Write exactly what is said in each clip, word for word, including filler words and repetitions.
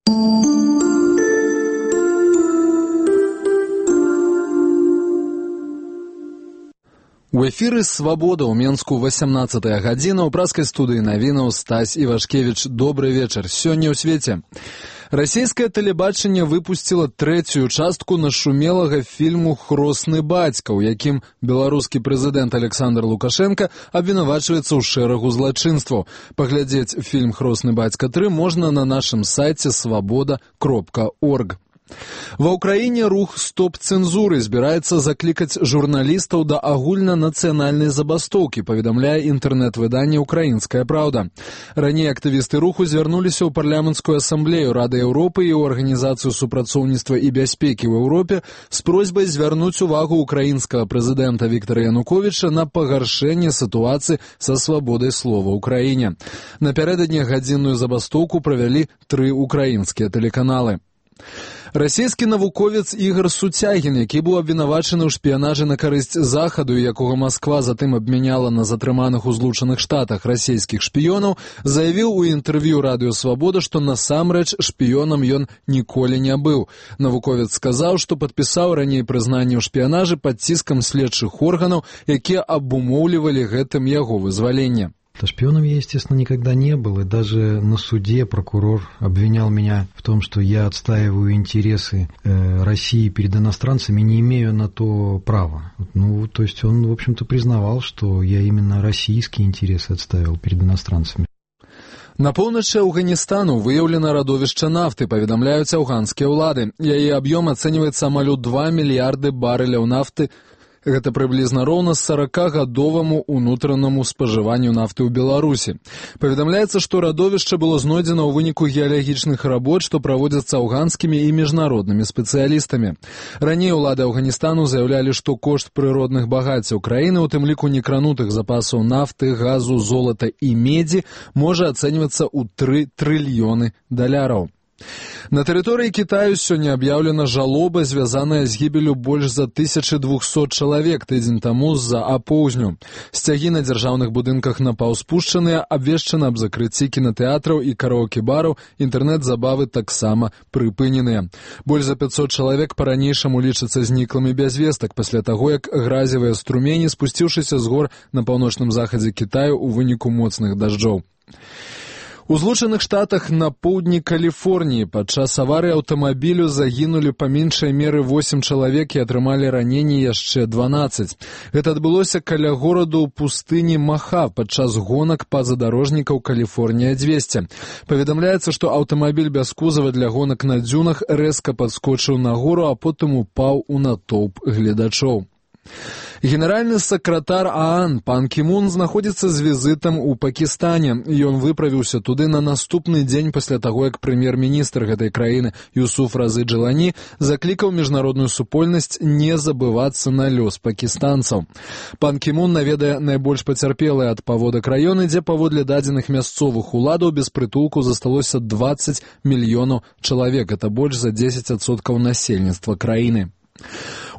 У эфіры «Свабода» ў Менску васямнаццатая гадзіна. У праскай студыі навінаў Стась Івашкевіч. Добры вечар. Сёння ў свеце. Расійскае тэлебачанне выпусціла трэцюю частку нашумелага фільму «Хросны бацька», у якім беларускі прэзідэнт Александр Лукашенко абвінавачваецца ў шэрагу злачынстваў. Паглядзець фільм «Хросны бацька тры» можна на нашым сайце свабода кропка орг. Ва ўкраіне рух стоп-цэнзуры збіраецца заклікаць журналістаў да агульнанацыянальнай забастоўкі, паведамляе інтэрнэт-выданне «Украінская праўда». Раней актывісты руху звярнуліся ў парламенцкую асамблею Рады Еўропы і ў Арганізацыю супрацоўніцтва і бяспекі ў Еўропе з просьбай звярнуць увагу ўкраінскага прэзідэнта Віктара Януковіча на пагаршэнне сітуацыі са свабодай слова ў краіне. Напярэдадні гадзінную забастоўку правялі тры ўкраінскія тэлеканалы. Расійскі навуковец Ігор Суцягін, які быў абвінавачаны ў шпіянажы на карысць Захаду, якога Масква затым абмяняла на затрыманых у Злучаных Штатах расійскіх шпіёнаў, заявіў у інтэрв'ю Радыё Свабода, што насамрэч шпіёнам ён ніколі не быў. Навуковец сказаў, што падпісаў раней прызнанне ў шпіянажы пад ціскам следчых органаў, якія абумоўлівалі гэтым яго вызваленне. Шпионом я, естественно, никогда не был, и даже на суде прокурор обвинял меня в том, что я отстаиваю интересы э, России перед иностранцами, не имею на то права. Ну, то есть он, в общем-то, признавал, что я именно российские интересы отстаивал перед иностранцами. На поўначы Афганістану выяўлена радовішча нафты, паведамляюць афганскія ўлады. Яе аб'ём ацэньваецца амаль у два мільярды барэляў нафты. Гэта прыблізна роўна саракагадоваму ўнутранаму спажыванню нафты ў Беларусі. Паведамляецца, што радовішча было знойдзена ў выніку геалагічных работ, што праводзяцца афганскімі і міжнароднымі спецыялістамі. Раней улады Афганістану заяўлялі, што кошт прыродных багаццяў краіны, у тым ліку некранутых запасаў нафты, газу, золата і медзі, можа ацэньвацца ў тры трыльёны даляраў. На тэрыторыі Кітаю сёння аб'яўлена жалоба, звязаная з гібелю больш за тысяча двухсот чалавек тыдзень таму з-за апоўзню. Сцягі на дзяржаўных будынках напаўспушчаныя, абвешчана аб закрыцці кінатэатраў і караоке-бараў, інтэрнэт-забавы таксама прыпыненыя. Больш за пяцьсот чалавек па-ранейшаму лічацца зніклымі без вестак пасля таго, як гразевыя струмені, спусціўшыся з гор на паўночным захадзе Кітаю ў выніку моцных дажджоў. У Злучаных Штатах на поўдні Каліфорніі падчас аварыі аўтамабілю загінулі па меншай меры восем чалавек і атрымалі раненні яшчэ дванаццаць. Гэта адбылося каля гораду ў пустыні Маха падчас гонак пазадарожнікаў Каліфорнія дзвесце. Паведамляецца, што аўтамабіль без кузава для гонак на дзюнах рэзка падскочыў на гору, а потым упаў у натоўп гледачоў. Генеральны сакратар ААН пан Кі Мун знаходзіцца з візітам у Пакістане. Ён выправіўся туды на наступны дзень пасля таго, як прэм'ер-міністр гэтай краіны Юсуф Разы Джалані заклікаў міжнародную супольнасць не забывацца на лёс пакістанцаў. Пан Кі Мун наведае найбольш пацярпелыя ад паводак раёны, дзе паводле дадзеных мясцовых уладаў без прытулку засталося дваццаць мільёнаў чалавек. Это больш за дзесяць адсоткаў насельніцтва краіны.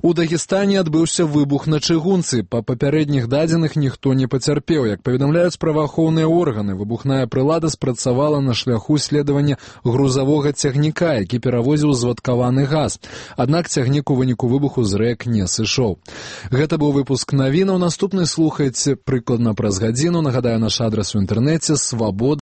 У Дагестане адбыўся выбух на чыгунцы. Па папярэдніх дадзеных ніхто не пацярпеў. Як паведамляюць праваахоўныя органы, выбухная прылада спрацавала на шляху следавання грузавога цягніка, які перавозіў звадкаваны газ. Аднак цягнік у выніку выбуху з рэк не сышоў. Гэта быў выпуск навінаў. Наступны слухайце прыкладна праз гадзіну. Нагадаю, наш адрас у інтэрнэце свабода.